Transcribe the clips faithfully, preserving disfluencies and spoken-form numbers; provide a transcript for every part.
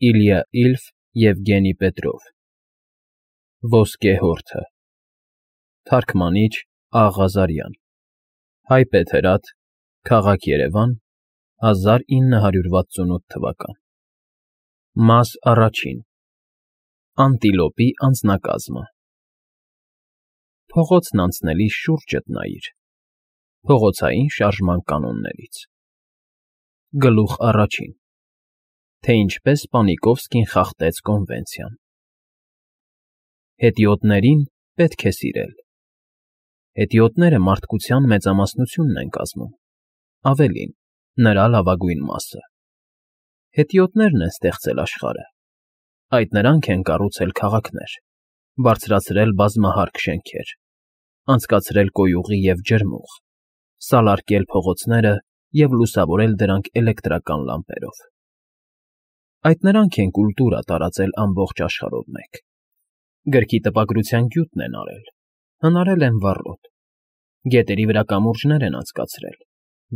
Իլյա Իլֆ Եվգենի Պետրով Ոսկե հորթը Թարգմանիչ Աղազարյան Հայ Պետերադ Քաղաք Երևան հազար ինը հարյուր վաթսունութ թվական Մաս առաջին Անտիլոպի անձնակազմը Փողոցն անցնելիս շուրջդ նայիր Փողոցային շարժման կանոններից Գլուխ առաջին Թե ինչպես Պանիկովսկին խախտեց կոնվենցիան Հետիոտներին պետք է սիրել Հետիոտները մարդկության մեծամասնությունն են կազմում, ավելին, նրա լավագույն մասը Հետիոտներն են ստեղծել աշխարհը, այդ նրանք են կառուցել քաղաքներ, բարձրացրել բազմահարկ շենքեր, անցկացրել կոյուղի և ջրմուղ, սալարկել փողոցները և լուսավորել դրանք էլեկտրական լամպերով Այդ նրանք են կուլտուրա տարածել ամբողջ աշխարհով մեկ, գրքի տպագրության գյուտն են արել, հնարել են վառոդ, գետերի վրա կամուրջներ են անցկացրել,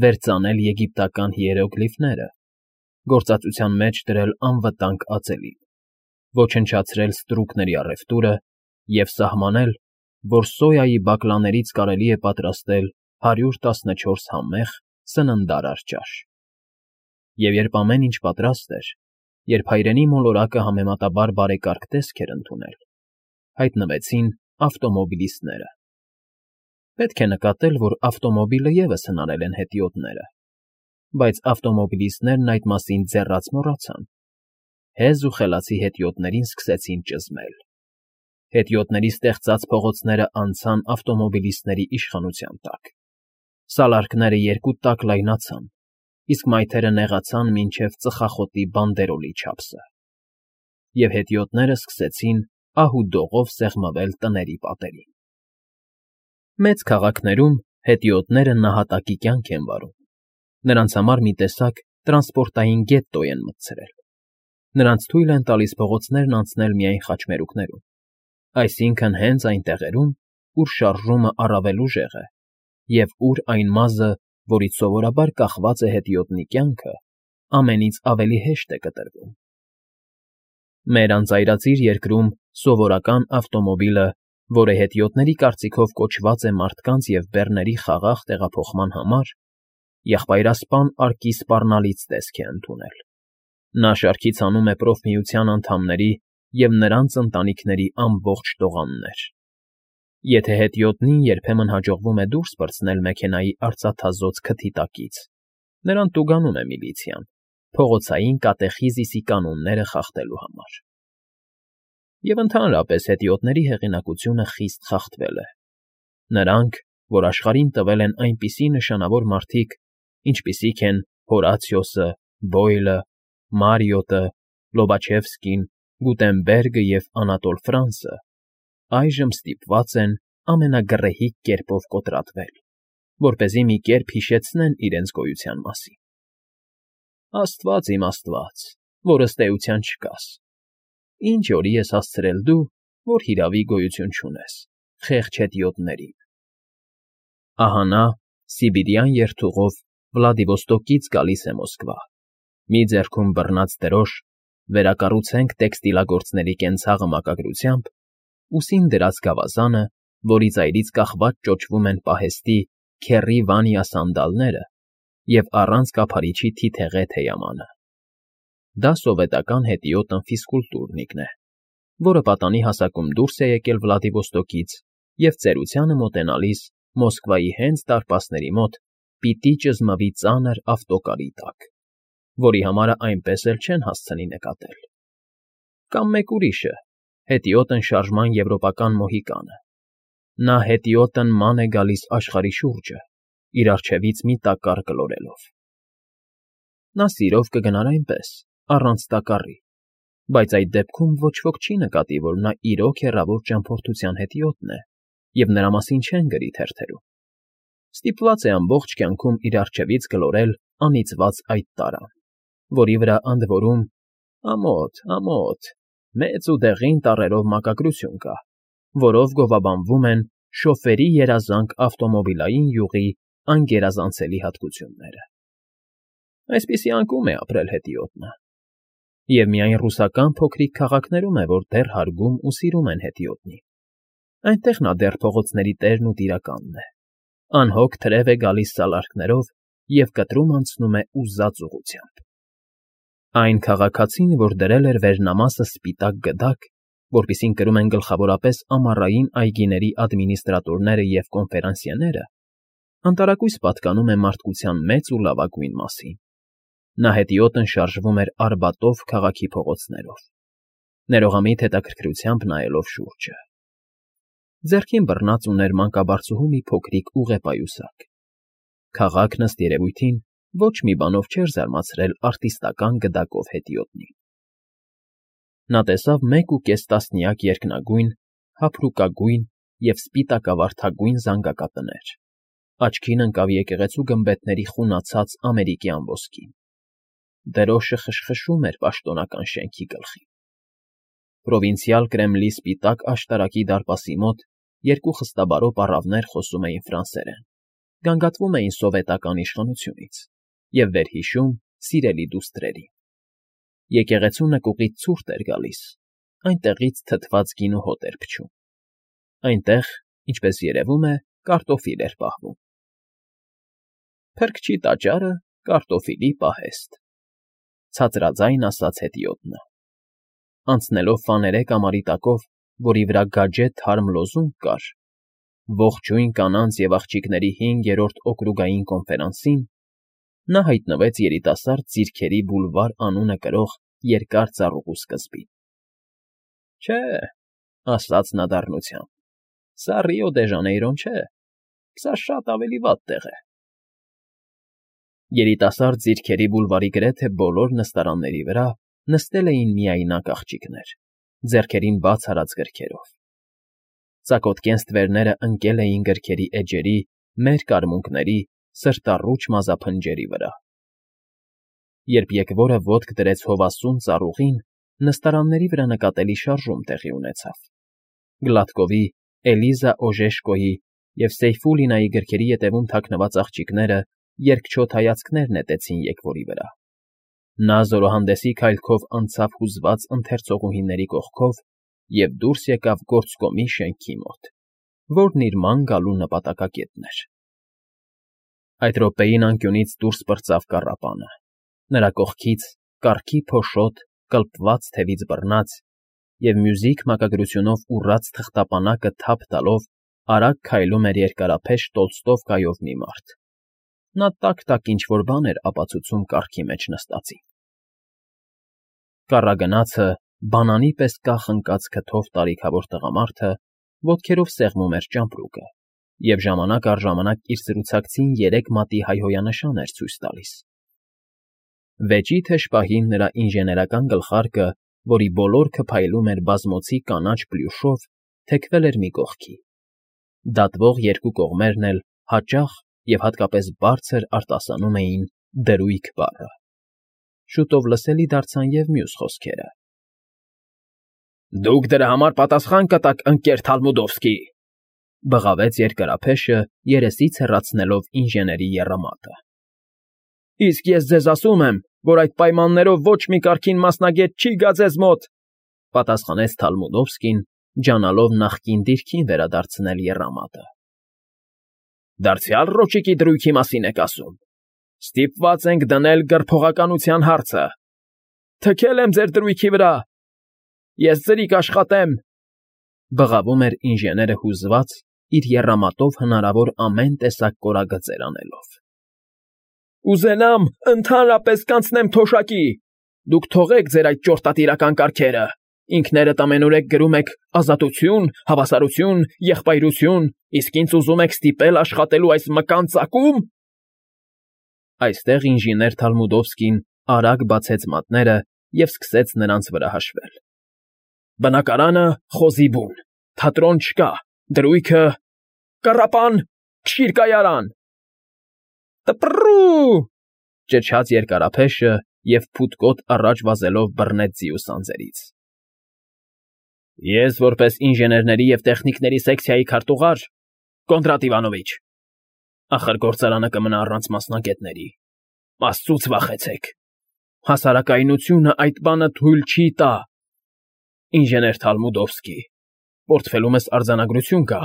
վերծանել եգիպտական հիերոգլիֆները, գործածության մեջ դրել անվտանգ ածելին, ոչնչացրել ստրուկների առևտուրը և սահմանել, որ սոյայի բակլաներից կարելի է պատրաստել հարյուր տասնչորս համեղ, սննդարար ճաշ Եվ երբ ամեն ինչ պատրաստ էր, երբ հայրենի մոլորակը համեմատաբար բարեկարգ տեսք էր ընդունել, հայտնվեցին ավտոմոբիլիստները Պետք է նկատել, որ ավտոմոբիլը ևս հնարել են հետիոտները, բայց ավտոմոբիլիստներն այդ մասին ձեռաց մոռացան, հեզ ու խելացի հետիոտներին սկսեցին ճզմել Հետիոտների ստեղծած փողոցները անցան ավտոմոբիլիստների իշխանության տակ, սալարկները երկու տակ լայնացան, իսկ մայթերը նեղացան մինչև ծխախոտի բանդերոլի չափսը, և հետիոտները սկսեցին ահ ու դողով սեղմվել տների պատերին Մեծ քաղաքներում հետիոտները նահատակի կյանք են վարում, նրանց համար մի տեսակ տրանսպորտային գետտո են մտցրել, նրանց թույլ են տալիս փողոցներն անցնել միայն խաչմերուկներում, այսինքն հենց այն տեղերում, ուր շարժումը առավել ուժեղ է և ուր այն մազը, որից սովորաբար կախված է հետիոտնի կյանքը, ամենից ավելի հեշտ է կտրվում Մեր անծայրածիր երկրում սովորական ավտոմոբիլը, որը հետիոտների կարծիքով կոչված է մարդկանց և բեռների խաղաղ տեղափոխման համար, եղբայրասպան արկի սպառնալից տեսք է ընդունել Նա շարքից հանում է պրոֆմիության անդամների և նրանց ընտանիքների ամբողջ տողաններ Եթե հետիոտնին երբեմն հաջողվում է դուրս պրծնել մեքենայի արծաթազօծ քթի տակից, նրան տուգանում է միլիցիան, փողոցային կատեխիզիսի կանոնները խախտելու համար Եվ ընդհանրապես հետիոտների հեղինակությունը խիստ խախտվել է Նրանք, որ աշխարհին տվել են այնպիսի նշանավոր մարդիկ, ինչպիսիք են Հորացիոսը, Բոյլը, Մարիոտը, Լոբաչևսկին, Գուտենբերգը և Անատոլ Ֆրանսը, այժմ ստիպված են ամենագռեհիկ կերպով կոտրատվել, որպեսզի մի կերպ հիշեցնեն իրենց գոյության մասին Աստված իմ Աստված, որ ըստ էության չկաս, ինչ օրի ես հասցրել դու, որ հիրավի գոյություն չունես, խեղճ հետիոտներին Ահա նա, սիբիրյան երթուղով Վլադիվոստոկից գալիս է Մոսկվա, մի ձեռքում բռնած դրոշ, վերակառուցենք տեքստիլագործների կենցաղը մակագրությամբ, ուսին դրած գավազանը, որի ծայրից կախված ճոճվում են պահեստի քեռի Վանյա սանդալները և առանց կափարիչի թիթեղե թեյամանը Դա սովետական հետիոտն ֆիզկուլտուրնիկն է, որը պատանի հասակում դուրս է եկել Վլադիվոստոկից և ծերությանը մոտենալիս Մոսկվայի հենց դարպասների մոտ պիտի ճզմվի ծանր ավտոկարի տակ, որի համարը այնպես էլ չեն հասցնի նկատել Կամ մեկ ուրիշը, հետիոտն շարժման եվրոպական մոհիկանը Նա հետիոտն ման է գալիս աշխարհի շուրջը, իր առջևից մի տակառ գլորելով Նա սիրով կգնար այնպես, առանց տակառի, բայց այդ դեպքում ոչ ոք չի նկատի, որ նա իրոք հեռավոր ճամփորդության հետիոտն է և նրա մասին չեն գրի թերթերում Ստիպված է ամբողջ կյանքում իր առջևից գլորել անիծված այդ տարան, որի վրա ընդ որում, ամոթ, ամոթ, մեծ ու դեղին տառերով մակագրություն կա, որով գովաբանվում են շոֆերի երազանք ավտոմոբիլային յուղի անգերազանցելի հատկությունները Այսպիսի անկում է ապրել հետիոտնը Եվ միայն ռուսական փոքրիկ քաղաքներում է, որ դեռ հարգում ու սիրում են հետիոտնին. այնտեղ նա դեռ փողոցների տերն ու տիրականն է, անհոգ թրև է գալիս սալարկներով և կտրում անցնում է ուզած ուղղությամբ։ Այն քաղաքացին, որ դրել էր վերնամասը սպիտակ գդակ, որպիսին կրում են գլխավորապես ամառային այգիների ադմինիստրատորները և կոնֆերանսիեները, անտարակույս պատկանում է մարդկության մեծ ու լավագույն մասին։ Նա հետիոտն շարժվում էր Արբատով քաղաքի փողոցներով, ներողամիտ հետաքրքրությամբ նայելով շուրջը։ Ձեռքին բռնած ուներ մանկաբարձուհու մի փոքրիկ ուղեպայուսակ։ Քաղաքն, ըստ երևույթին, ոչ մի բանով չէր զարմացրել արտիստական գդակով հետիոտնին։ Նա տեսավ մեկ ու կես տասնյակ երկնագույն, հափրուկագույն և սպիտակավարդագույն զանգակատներ, աչքին ընկավ եկեղեցու գմբեթների խունացած ամերիկյան ոսկին։ Դրոշը խշխշում էր պաշտոնական շենքի գլխին։ Պրովինցիալ Կրեմլի սպիտակ աշտարակի դարպասի մոտ երկու խստաբարո պառավներ խոսում էին ֆրանսերեն, գանգատվում էին սովետական իշխանությունից և վերհիշում սիրելի դուստրերին։ Եկեղեցու նկուղից ցուրտ էր գալիս, այնտեղից թթված գինու հոտ էր փչում։ Այնտեղ, ինչպես երևում է, կարտոֆիլ էր պահվում։ Փրկչի տաճարը, կարտոֆիլի պահեստ, ցածրաձայն ասաց հետիոտնը։ Անցնելով ֆաներե կամարի տակով, որի վրա գաջե թարմ լոզունգ կար. «Ողջույն կանանց և աղջիկների հինգերորդ օկրուգային կոնֆերանսին», նա հայտնվեց երիտասարդ ձիրքերի բուլվար անունը կրող երկար ծառուղու սկզբին։ «Չէ,֊ ասաց նա դառնությամբ,֊ սա Ռիո դե Ժանեյրոն չէ, սա շատ ավելի վատ տեղ է»։ Երիտասարդ ձիրքերի բուլվարի գրեթե բոլոր նստարանների վրա նստել էին միայնակ աղջիկներ, ձեռքերին բաց արած գրքերով։ Ծակոտկեն ստվերները ընկել էին գրքերի էջերի, մերկ արմունկների, սրտառուչ մազափնջերի վրա։ Երբ եկվորը ոտք դրեց հովասուն ծառուղին, նստարանների վրա նկատելի շարժում տեղի ունեցավ։ Գլադկովի, Էլիզա Օժեշկոյի և Սեյֆուլինայի գրքերի ետևում թաքնված աղջիկները երկչոտ հայացքներ նետեցին եկվորի վրա։ Նա զորահանդեսի քայլքով անցավ հուզված ընթերցողուհիների կողքով և դուրս եկավ գործկոմի շենքի մոտ, որն իր ման գալու նպատակակետն էր։ Այդ րոպեին անկյունից դուրս պրծավ կառապանը։ Նրա կողքից, կառքի փոշոտ, կլպված թևից բռնած և մյուզիք մակագրությունով ուռած թղթապանակը թափ տալով արագ քայլում էր երկարափեշ տոլստով կայով մի մարդ։ Նա տակ֊տակ ինչ֊որ բան էր ապացուցում կառքի մեջ նստածին։ Կառագնացը, բանանի պես կախ ընկած քթով տարիքավոր տղամարդը ոտքերով սեղմում էր ճամպրուկը և ժամանակ առ ժամանակ իր սրուցակցին երեք մատի հայհոյանշան էր ցույց տալիս։ Վեճի թեժ պահին նրա ինժեներական գլխարկը, որի ոլորքը փայլում էր բազմոցի կանաչ պլյուշով, թեքվել էր մի կողքի։ Դատվող երկու կողմերն էլ հաճախ և հատկապես բարձր արտասանում էին «դրույք» բառը։ Շուտով լսելի դարձան և մյուս խոսքերը. «Դուք դրա համար պատասխան կտաք, ընկեր Թալմուդովսկի», բղավեց երկարափեշը, երեսից հեռացնելով ինժեների եռամատը։ «Իսկ ես ձեզ ասում եմ, որ այդ պայմաններով ոչ մի կարգին մասնագետ չի գա ձեզ մոտ», պատասխանեց Թալմուդովսկին, ջանալով նախկին դիրքին վերադարձնել եռամատը։ «Դարձյալ ռոճիկի դրույքի մասին եք ասում։ Ստիպված ենք դնել գրփողականության հարցը։ Թքել եմ ձեր դրույքի վրա։ Ես ձրիկ աշխատեմ», բղավում էր ինժեները հուզված, իր եռամատով հնարավոր ամեն տեսակ կորագծեր անելով։ «Ուզենամ, ընդհանրապես կանցնեմ թոշակի։ Դուք թողեք ձեր այդ ճորտատիրական կարգերը, ինքներդ ամենուրեք գրում եք ազատություն, հավասարություն, եղբայրություն, իսկ ինձ ուզում եք ստիպել աշխատելու այս մկան ծակո՞ւմ»։ Այստեղ ինժեներ Թալմուդովսկին արագ բացեց մատները և սկսեց նրանց վրա հաշվել։ «Բնակարանը՝ խոզի բուն, թատրոն չկա, դրույքը՝ կռապան, քշիր կայարան»։ «Տպռու՜», ճչաց երկարափեշը և փութկոտ առաջ վազելով բռնեց ձիուց անձրից։ «Ես որպես ինժեներների և տեխնիկների սեկցիայի քարտուղար, Կոնդրատ Իվանովիչ, ախր գործարանը կմնա առանց մասնագետների, աստծուց վախեցեք։ Հասարակայնությունը այդ բանը թույլ չի տա։ Ինժեներ Թալմուդովսկի, պորտֆելումս արձանագրություն կա։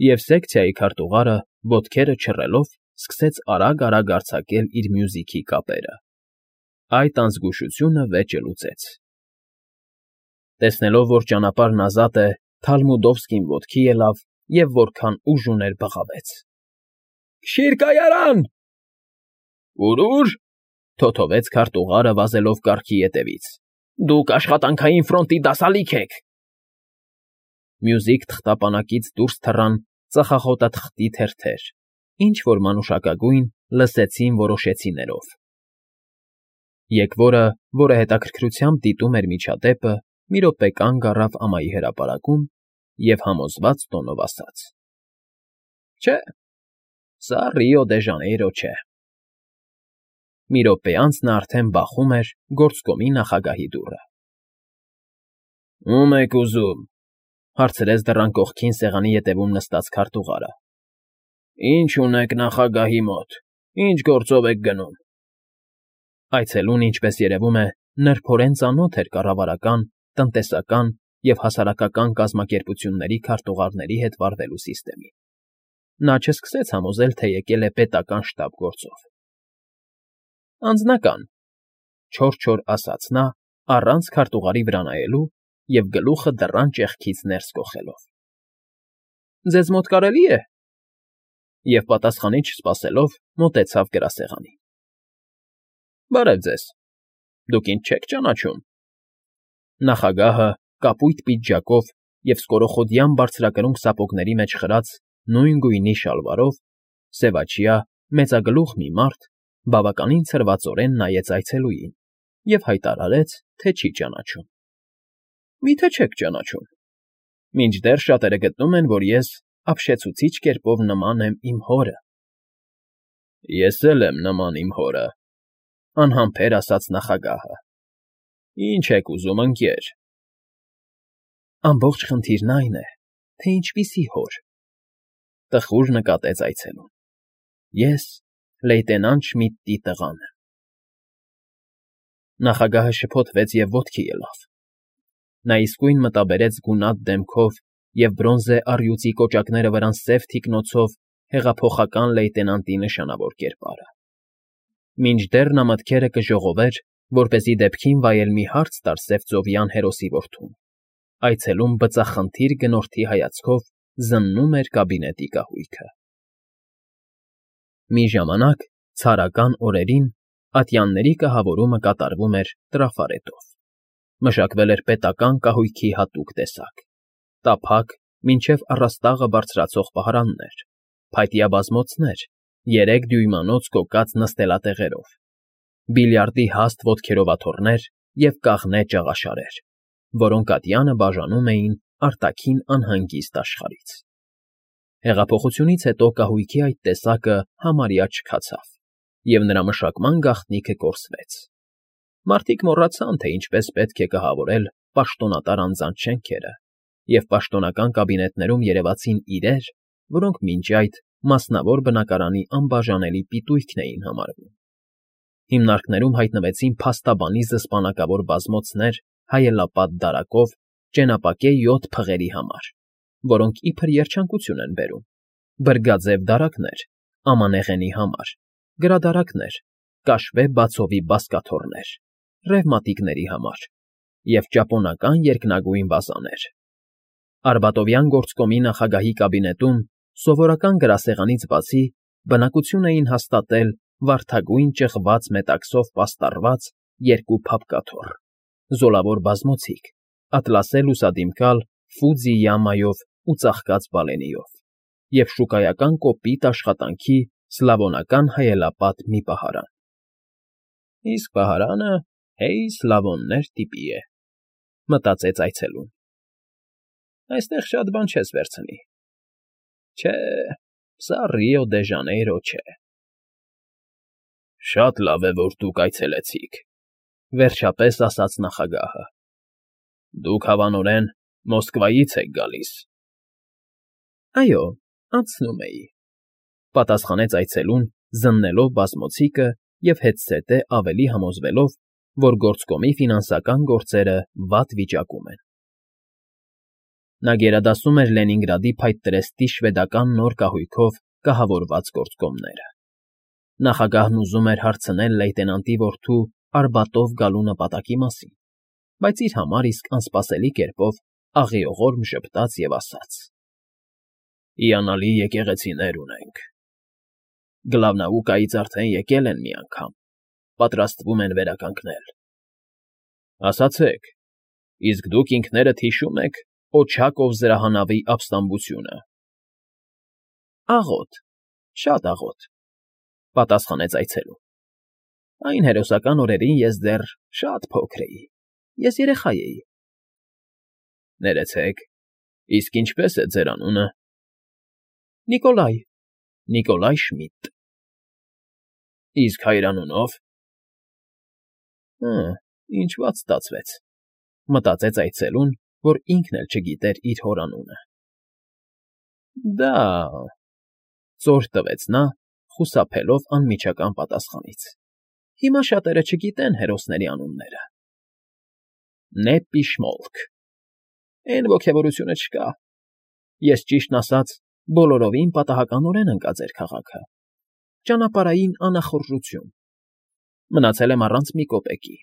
Եվ սեկցիայի քարտուղարը, ոտքերը չռելով, սկսեց արագ֊արագ արձակել իր մյուզիքի կապերը։ Այդ անզգուշությունը վեճը լուծեց։ Տեսնելով, որ ճանապարհն ազատ է, Թալմուդովսկին ոտքի ելավ և որքան ուժ ուներ բղավեց. «Քշի՛ր կայարան»։ «Ո՞ւր»։ Թոթովեց քարտուղարը վազելով կառքի ետևից։ «Դուք աշխատանքային ֆրոնտի դասալիկ եք»։ Մյուզիք թղթապանակից դուրս թռան ծխախոտաթղթի թերթեր, ինչ֊որ մանուշակագույն, լսեցին որոշեցիներով։ Եկվորը, որը հետաքրքրությամբ դիտում էր միջադեպը, մի րոպե կանգ առավ ամայի հրապարակում և համոզված տոնով ասաց. «Չէ, սա Ռիո դե Ժանեյրո չէ»։ Մի րոպե անց նա արդեն բախում էր գործկոմի նախագահի դուռը։ «Ո՞ւմ եք ուզում», հարցրեց դռան կողքին սեղանի ետևում նստած քարտուղարը։ «Ինչ ունեք նախագահի մոտ, ինչ գործով եք գնում»։ Այցելուն, ինչպես երևում է, նրբորեն ծանոթ էր կառավարական, տնտեսական և հասարակական կազմակերպությունների քարտուղարների հետ վարվելու սիստեմին։ Նա չսկսեց համոզել, թե եկել է պետական շտաբ գործով։ «Անձնական», չոր֊չոր ասաց նա, առանց քարտուղարի վրա նայելու և գլուխը դռան ճեղքից ներս կոխելով։ «Ձեզ մոտ կարելի է»։ Եվ պատասխանի չսպասելով, մոտեցավ գրասեղանին։ «Բարև ձեզ, դուք ինձ չե՞ք ճանաչում»։ Նախագահը, կապույտ պիջակով և սկորոխոդյան բարձրակրունկ սապոգների մեջ խրած նույն գույնի շալվարով, սևաչյա, մեծագլուխ մի մարդ, բավականին ցրվածորեն նայեց այցելուին և հայտարարեց, թե չի ճանաչում։ «Մի՞թե չեք ճանաչում։ Մինչդեռ շատերը գտնում են, որ ես ապշեցուցիչ կերպով նման եմ իմ հորը»։ «Ես էլ եմ նման իմ հորը», անհամբեր ասաց նախագահը։ «Ինչ եք ուզում, ընկեր»։ «Ամբողջ խնդիրն այն է, թե ինչպիսի հոր», տխուր նկատեց այցելուն։ «Ես լեյտենանտ Շմիդտի տղան եմ»։ Նախագահը շփոթվեց և ոտքի ելավ։ Նա իսկույն մտաբերեց գունատ դեմքով և բրոնզե առյուծի կոճակները վրան սև թիկնոցով հեղափոխական լեյտենանտի նշանավոր կերպարը։ Մինչդեռ նա մտքերը կժողովեր, որպեսզի դեպքին վայել մի հարց տար սևծովյան հերոսի որդուն, այցելուն բծախնդիր գնորդի հայացքով զննում էր կաբինետի կահույքը։ Մի ժամանակ, ցարական օրերին, ատյանների կահավորումը կատարվում էր տրաֆարետով։ Մշակվել էր պետական կահույքի հատուկ տեսակ՝ տափակ, մինչև առաստաղը բարձրացող պահարաններ, փայտյա բազմոցներ, երեք դյույմանոց կոկած նստելատեղերով, բիլիարդի հաստ ոտքերով աթոռներ և կաղնե ճաղաշարեր, որոնք ատյանը բաժանում էին արտաքին անհանգիստ աշխարհից։ Հեղափոխությունից հետո կահույքի այդ տեսակը համարյա չքացավ, և նրա մշակման գաղտնիքը կորսվեց։ Մարդիկ մոռացան, թե ինչպես պետք է կահավորել պաշտոնատար անձանց շենքերը, և պաշտոնական կաբինետներում երևացին իրեր, որոնք մինչ այդ մասնավոր բնակարանի անբաժանելի պիտույքն էին համարվում։ Հիմնարկներում հայտնվեցին փաստաբանի զսպանակավոր բազմոցներ հայելապատ դարակով ճենապակե յոթ փղերի համար, որոնք իբր երջանկություն են բերում, բրգաձև դարակներ ամանեղենի համար, գրադարակներ, կաշվե բացովի բազկաթոռներ, ռևմատիկների համար և ճապոնական երկնագույն վազաներ։ Արբատովյան գործկոմի նախագահի կաբինետում սովորական գրասեղանից բացի բնակություն էին հաստատել վարդագույն ճղված մետաքսով պաստառված երկու փափկաթոռ, զոլավոր բազմոցիկ, ատլասե լուսադիմկալ Ֆուձի յամայով ու ծաղկած բալենիով և շուկայական կոպիտ աշխատանքի սլավոնական հայելապատ մի պահարան։ «Իսկ պահարանը, հեյ, սլավոններ տիպի է», մտածեց այցելուն։ «Այստեղ շատ բան չես վերցնի։ Չէ, սա Ռիո դե Ժանեյրո չէ»։ «Շատ լավ է, որ դուք այցելեցիք», վերջապես ասաց նախագահը։ «Դուք հավանորեն Մոսկվայից եք գալիս»։ «Այո, անցնում էի», պատասխանեց այցելուն, զննելով բազմոցիկը և հետզհետե ավելի համոզվելով, որ գործկոմի ֆինանսական գործերը վատ վիճակում են։ Նա գերադասում էր Լենինգրադի փայտ շվեդական նոր կահույքով կահավորված գործկոմները։ Նախագահն ուզում էր հարցնել լեյտենանտի որդու Արբատով գալու նպատակի մասին, բայց իր համար իսկ անսպասելի կերպով աղիողորմ ժպտաց և ասաց. «Հիանալի եկեղեցիներ ունենք։ Գլավնաուկայից արդեն եկել են մի անգամ, պատրաստվում են վերականգնել։ Ասացեք, իսկ դուք ինքներդ հիշո՞ւմ եք Օչակով զրահանավի ապստամբությունը։ ֊ Աղոտ, շատ աղոտ,֊ պատասխանեց այցելուն։ Այն հերոսական օրերին ես դեռ շատ փոքր էի, ես երեխա էի։ ֊ Ներեցեք, իսկ ինչպե՞ս է ձեր անունը։ ֊ Նիկոլայ… Նիկոլայ Շմիդտ։ ֊ Իսկ հայրանունո՞վ։ Հը, ինչ վատ ստացվեց,֊ մտածեց այցելուն, որ ինքն էլ չգիտեր իր հոր անունը։ Դա… ծոր տվեց նա, խուսափելով անմիջական պատասխանից։ Հիմա շատերը չգիտեն հերոսների անունները։ ֊ Նեպի Շմոլք… Էն ոգևորությունը չկա։ Ես, ճիշտն ասած, բոլորովին պատահականորեն ընկա ձեր քաղաքը, ճանապարհային անախորժություն, մնացել եմ առանց մի կոպեկի։